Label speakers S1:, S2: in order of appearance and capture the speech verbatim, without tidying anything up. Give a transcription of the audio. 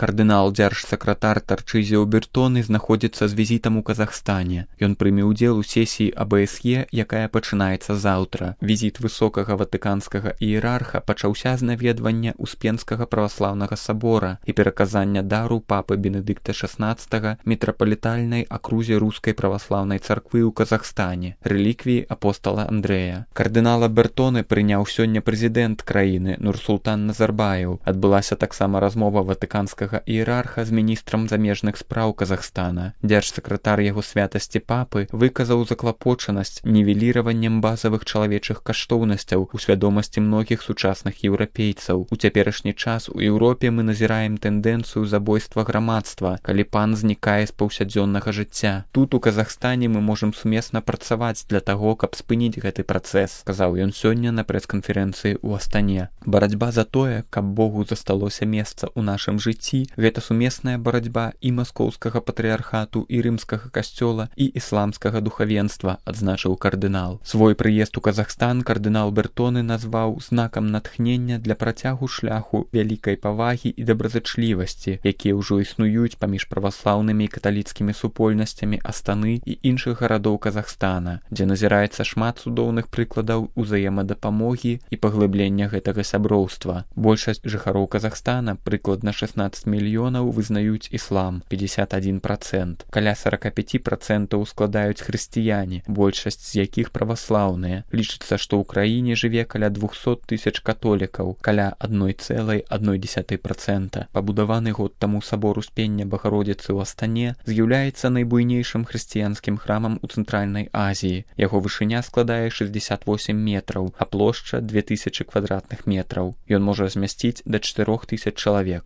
S1: Кардынал дзяржсакратар Тарчызіо Бертоны знаходзіцца з візітам у Казахстане. Ён прыме ўдзел у сесіі А Бэ Эс Е, якая пачынаецца заўтра. Візіт высокага ватыканскага іерарха пачаўся з наведвання Успенскага праваслаўнага сабора і пераказання дару папы Бенедыкта шаснаццатага мітрапалітальнай акрузе рускай праваслаўнай царквы ў Казахстане, рэліквіі апостала Андрэя. Кардынала Бертоны прыняў сёння прэзідэнт краіны Нурсултан Назарбаеў. Адбылася таксама размова ватыканскага іерарха з міністрам замежных спраў Казахстана. Дзяржсакратар яго святасці папы выказаў заклапочанасць нівеліраваннем базавых чалавечых каштоўнасцяў у свядомасці многіх сучасных еўрапейцаў. У цяперашні час у Еўропе мы назіраем тэндэнцыю забойства грамадства, калі пан знікае з паўсядзённага жыцця. Тут у Казахстане мы можам сумесна працаваць для таго, каб спыніць гэты працэс, сказаў ён сёння на прэс-канферэнцыі ў Астане. Барацьба за тое, каб Богу засталося месца ў нашым жыцці, гэта сумесная барацьба і маскоўскага патрыархату, і рымскага касцёла, і ісламскага духавенства, адзначыў кардынал. Свой прыезд у Казахстан кардынал Бертоны назваў знакам натхнення для працягу шляху вялікай павагі і добразычлівасці, якія ўжо існуюць паміж праваслаўнымі і каталіцкімі супольнасцямі Астаны і іншых гарадоў Казахстана, дзе назіраецца шмат цудоўных прыкладаў узаемадапамогі і паглыблення гэтага сяброўства. Большасць жыхароў Казахстана, прыкладна шаснаццаць мільёнаў, вызнаюць іслам, пятьдесят один процент. Каля сорок пять процентаў складаюць хрысціяне, большасць з якіх праваслаўныя. Лічыцца, што ў краіне жыве каля двухсот тысяч католікаў, каля одна цэлая одна дзесятая процента. Пабудаваны год таму сабор Успення Багародзіцы ў Астане з'яўляецца найбуйнейшым хрысціянскім храмам у Цэнтральнай Азіі. Яго вышыня складае шестьдесят восемь метраў, а плошча две тысячи квадратных метраў. Ён можа змясціць да чатырох тысяч чалавек.